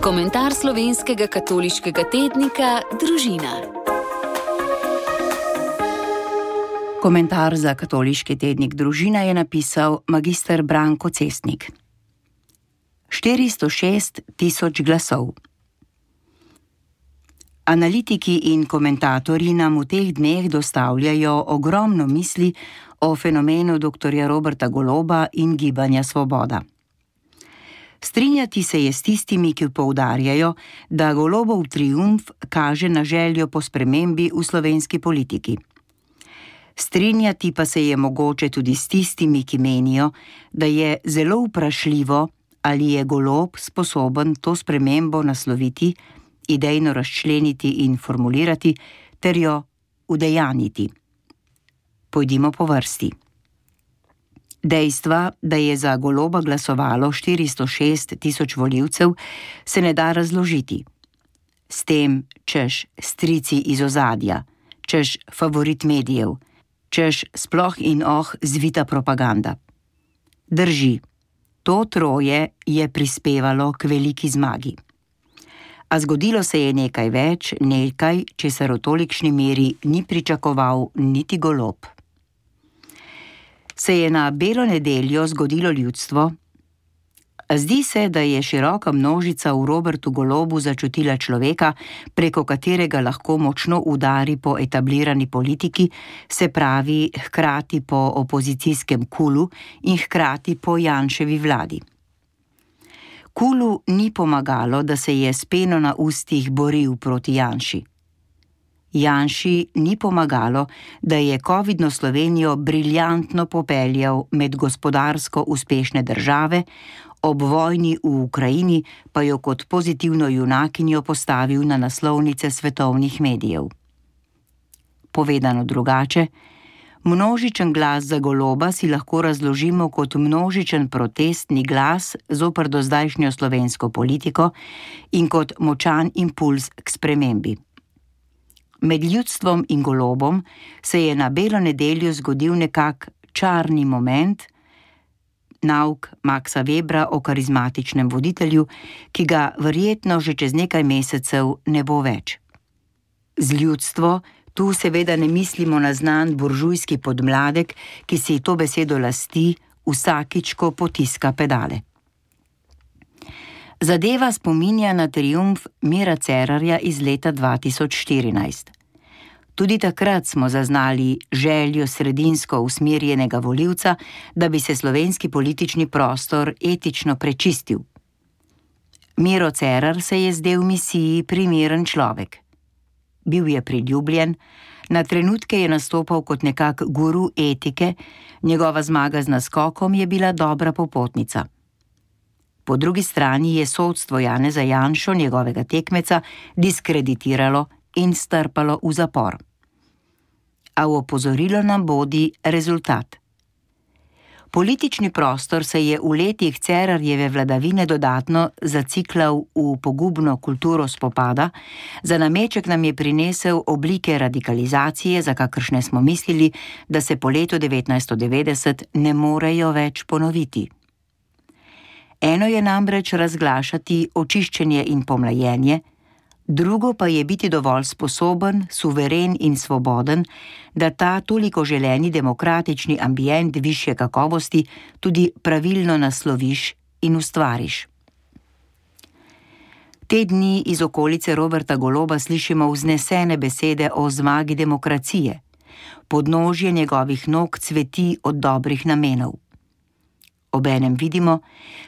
Komentar slovenskega katoliškega tednika Družina. Komentar za katoliški tednik Družina je napisal magister Branko Cestnik. 406 tisoč glasov. Analitiki in komentatorji nam v teh dneh dostavljajo ogromno misli o fenomenu dr. Roberta Goloba in Gibanja Svoboda. Strinjati se je s tistimi, ki poudarjajo, da Golobov triumf kaže na željo po spremembi v slovenski politiki. Strinjati pa se je mogoče tudi s tistimi, ki menijo, da je zelo vprašljivo, ali je Golob sposoben to spremembo nasloviti, idejno razčleniti in formulirati, ter jo udejanjiti. Pojdimo po vrsti. Dejstva, da je za Goloba glasovalo 406 tisoč volivcev, se ne da razložiti. S tem, češ strici iz ozadja, češ favorit medijev, češ sploh in zvita propaganda. Drži, to troje je prispevalo k veliki zmagi. A zgodilo se je nekaj več, nekaj, česar v tolikšni meri ni pričakoval niti Golob. Se je na belo nedeljo zgodilo ljudstvo? Zdi se, da je široka množica v Robertu Golobu začutila človeka, preko katerega lahko močno udari po etablirani politiki, se pravi hkrati po opozicijskem KUL-u in hkrati po Janševi vladi. KUL-u ni pomagalo, da se je s peno na ustih boril proti Janši. Janši ni pomagalo, da je covidno Slovenijo briljantno popeljal med gospodarsko uspešne države, ob vojni v Ukrajini pa jo kot pozitivno junakinjo postavil na naslovnice svetovnih medijev. Povedano drugače, množičen glas za Goloba si lahko razložimo kot množičen protestni glas zoper dozdajšnjo slovensko politiko in kot močan impulz k spremembi. Med ljudstvom in Golobom se je na belo nedeljo zgodil nekak čarni moment, nauk Maxa Webra o karizmatičnem voditelju, ki ga verjetno že čez nekaj mesecev ne bo več. Z ljudstvo tu seveda ne mislimo na znan buržujski podmladek, ki si to besedo lasti vsakič, ko potiska pedale. Zadeva spominja na triumf Mira Cerarja iz leta 2014. Tudi takrat smo zaznali željo sredinsko usmerjenega volivca, da bi se slovenski politični prostor etično prečistil. Miro Cerar se je zdel misiji primeren človek. Bil je priljubljen, na trenutke je nastopal kot nekak guru etike, njegova zmaga z naskokom je bila dobra popotnica. Po drugi strani je sodstvo Janeza Janšo, njegovega tekmeca, diskreditiralo in strpalo v zapor. A v opozorilo nam bodi rezultat. Politični prostor se je v letih Cerarjeve vladavine dodatno zaciklal v pogubno kulturo spopada, za nameček nam je prinesel oblike radikalizacije, za kakršne smo mislili, da se po letu 1990 ne morejo več ponoviti. Eno je namreč razglašati očiščenje in pomlajenje, drugo pa je biti dovolj sposoben, suveren in svoboden, da ta toliko želeni demokratični ambient višje kakovosti tudi pravilno nasloviš in ustvariš. Te dni iz okolice Roberta Goloba slišimo vznesene besede o zmagi demokracije. Podnožje njegovih nog cveti od dobrih namenov. Obenem vidimo,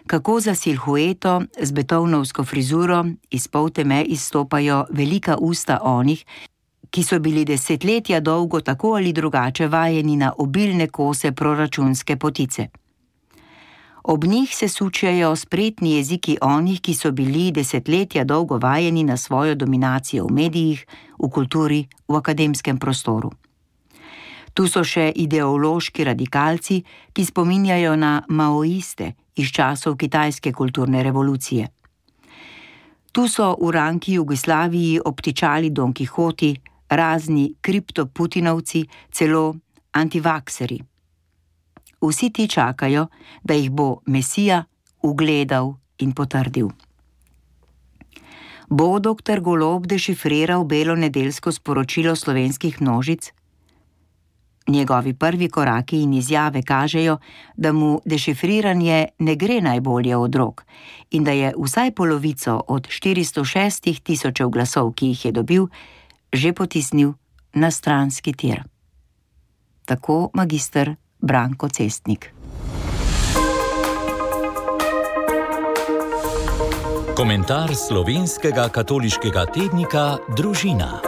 kako za silhueto z betovnovsko frizuro iz polteme izstopajo velika usta onih, ki so bili desetletja dolgo tako ali drugače vajeni na obilne kose proračunske potice. Ob njih se sučejo spretni jeziki onih, ki so bili desetletja dolgo vajeni na svojo dominacijo v medijih, v kulturi, v akademskem prostoru. Tu so še ideološki radikalci, ki spominjajo na maoiste iz časov kitajske kulturne revolucije. Tu so v ranki Jugoslaviji obtičali Don Kihoti, razni kriptoputinovci, celo antivakseri. Vsi ti čakajo, da jih bo Mesija ugledal in potrdil. Bo dr. Golob dešifriral belo nedeljsko sporočilo slovenskih množic? Njegovi prvi koraki in izjave kažejo, da mu dešifriranje ne gre najbolje od rok in da je vsaj polovico od 406 tisočev glasov, ki jih je dobil, že potisnil na stranski tir. Tako magister Branko Cestnik. Komentar slovenskega katoliškega tednika Družina.